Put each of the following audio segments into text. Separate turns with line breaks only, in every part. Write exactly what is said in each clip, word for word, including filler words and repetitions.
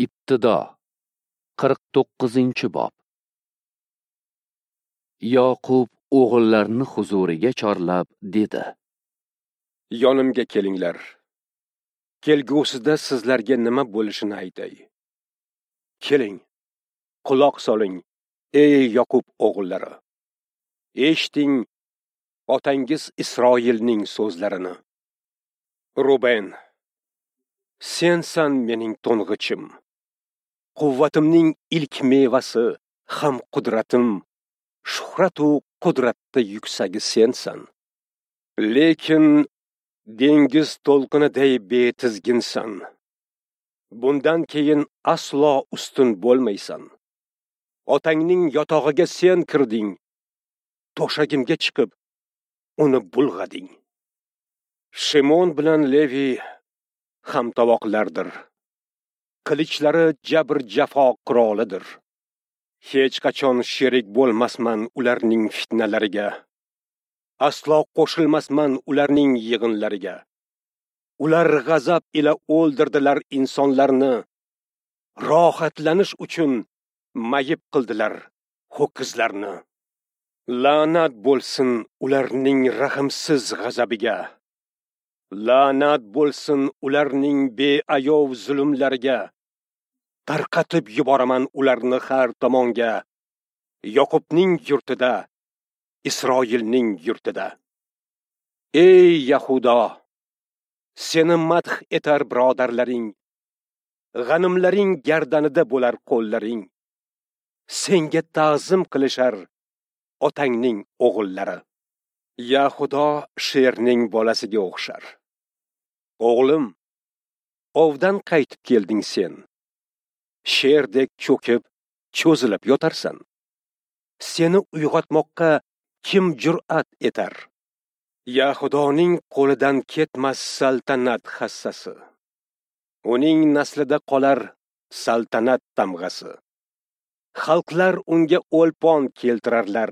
Ibtido qirq to'qqizinchi bob. Yoqub o'g'illarini huzuriga chorlab dedi:
Yonimga kelinglar. Kelgusida sizlarga nima bo'lishini aytay. Keling, quloq soling, ey Yoqub o'g'illari. Eshiting otangiz Isroilning so'zlarini. Ruben, sensan mening to'ng'ichim. Quvvatimning ilk mevasi, ham qudratim, shuhratu qudratda yuksagi sensan. Lekin dengiz to'lqiniday betizginsan. Bundan keyin aslo ustun bo'lmaysan. Otangning yotog'iga sen kirding, to'shagimga chiqib uni bulg'ading. Shimon bilan Levi hamtovoqlardir. Qilichlari jabr-jafo qurolidir. Hech qachon sherik bo'lmasman ularning fitnalariga. Aslo qo'shilmasman ularning yig'inlariga. Ular g'azab ila o'ldirdilar insonlarni. Rohatlanish uchun mayib qildilar ho'kizlarni. La'nat bo'lsin ularning rahimsiz g'azabiga. La'nat bo'lsin ularning beayov zulmlariga. Tarqatib yuboraman ularni har tomonga. Yoqubning yurtida, Isroilning yurtida. Ey Yahudo, seni madh etar birodarlaring. G'animlaring gardanida bo'lar qo'llaring. Senga ta'zim qilishar otangning o'g'illari. Yahudo sherning bolasiga o'xshar. O'g'lim, ovdan qaytib kelding sen. Sherdek cho'kib, cho'zilib yotarsan. Seni uyg'otmoqqa kim jur'at etar? Yahudoning qo'lidan ketmas saltanat hassasi. Uning naslida qolar saltanat tamg'asi. Xalqlar unga o'lpon keltirarlar.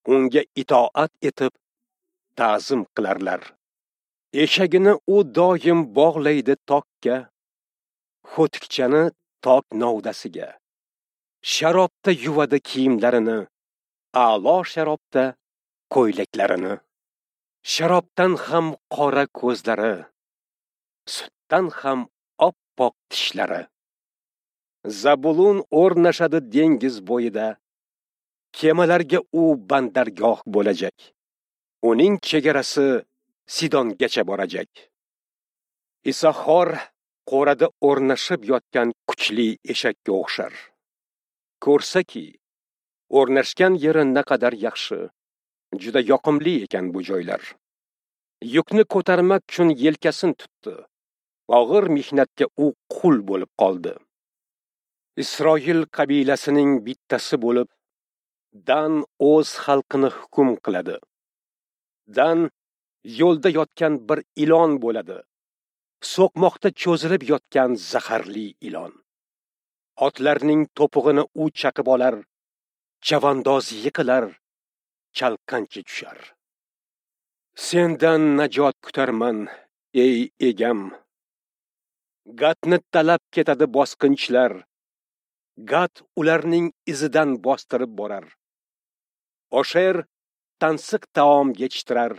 Unga itoat etib ta'zim qilarlar. Eshagini u doim bog'laydi tokka, xo'tikchani tok novdasiga. Sharobda yuvadi kiyimlarini, a'lo sharobda ko'ylaklarini. Sharobdan ham qora ko'zlari, sutdan ham oppoq tishlari. Zabulun o'rnashadi dengiz bo'yida. Kemalarga u bandargoh bo'lajak. Uning chegarasi Sidongacha borajak. Isahor qo'rada o'rnashib yotgan kuchli eshakka o'xshar. Ko'rsaki, o'rnashgan yeri naqadar yaxshi, juda yoqimli ekan bu joylar. Yukni ko'tarmak uchun yelkasini tutdi. Og'ir mehnatga u qul bo'lib qoldi. Isroil qabilasining bittasi bo'lib, Dan o'z xalqini hukm qiladi. Dan yo'lda yotgan bir ilon bo'ladi. So'qmoqda cho'zilib yotgan zaharli ilon. Otlarning to'pig'ini u chaqib olar, chavandoz yiqilar, chalqancha tushar. Sendan najot kutarman, ey egam. Gatni talab ketadi bosqinchilar. Gat ularning izidan bostirib borar. Osher tansiq taom yetishtirar.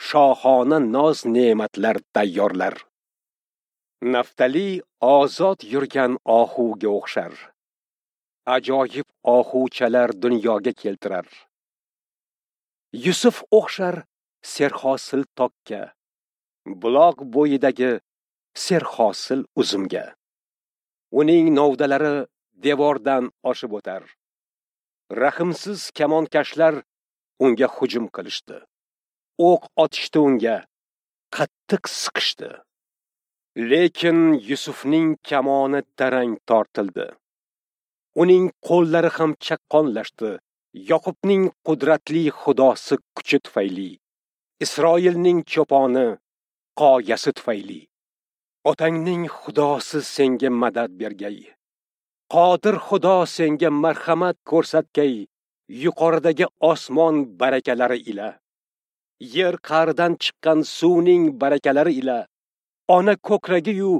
Shohona noz ne'matlar tayyorlar. Naftali ozod yurgan ohuga o'xshar. Ajoyib ohuchalar dunyoga keltirar. Yusuf o'xshar serhosil tokka, buloq bo'yidagi serhosil uzumga. Uning novdalari devordan oshib o'tar. Rahimsiz kamonkashlar unga hujum qilishdi. O'q otishdi unga, qattiq siqishdi. Lekin Yusufning kamoni tarang tortildi. Uning qo'llari ham chaqqonlashdi. Yoqubning qudratli xudosi kuchi tufayli, Isroilning cho'poni qoyasi tufayli. Otangning xudosi senga madad bergay. Qodir Xudo senga marhamat ko'rsatgay, yuqoridagi osmon barakalari ila, yer qa'ridan chiqqan suvning barakalari ila, ona ko'kragiyu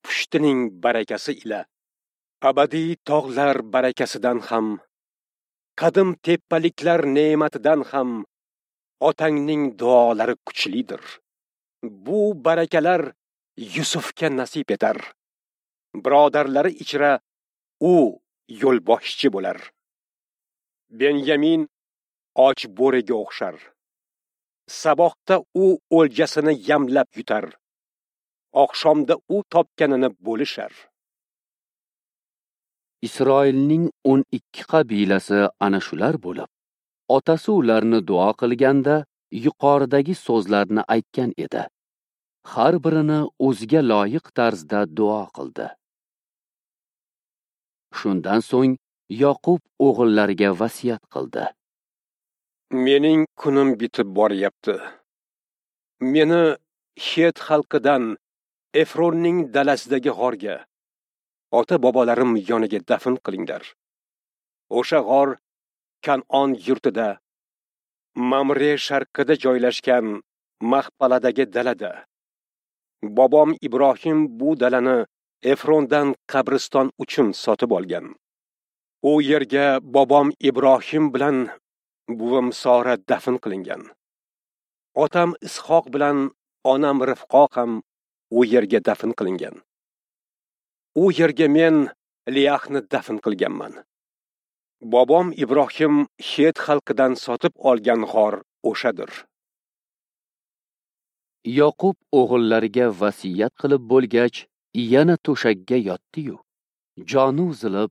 pushtining barakasi ila abadiy tog'lar barakasidan ham, qadim tepaliklar ne'matidan ham otangning duolari kuchlidir. Bu barakalar Yusufga nasib etar. Birodarlari ichra u yo'lboshchi bo'lar. Benyamin och bo'riga o'xshar. Sabohda u o'ljasini yamlab yutar. Oqshomda u topganini bo'lishar.
Isroilning o'n ikki qabilasi ana shular bo'lib, otasi ularni duo qilganda yuqoridagi so'zlarni aytgan edi. Har birini o'ziga loyiq tarzda duo qildi. Shundan so'ng Yoqub o'g'illariga vasiyat qildi.
Mening kunim bitib boryapti. Meni Het xalqidan Efronning dalasidagi g'orga, ota-bobolarim yoniga dafn qilinglar. O'sha g'or Kan'on yurtida, Mamre sharqida joylashgan Mahpaladagi dalada. Bobom Ibrohim bu dalani Efrondan qabriston uchun sotib olgan. U yerga bobom Ibrohim bilan buvim Sora dafn qilingan. Otam Ishoq bilan onam Rifqo ham u yerga dafn qilingan. U yerga men Liyahni dafn qilganman. Bobom Ibrohim Het xalqidan sotib olgan g'or o'shadir.
Yoqub o'g'illariga vasiyat qilib bo'lgach, yana to'shakka yotdi-yu, joni uzilib,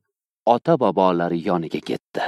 ota-bobolari yoniga ketdi.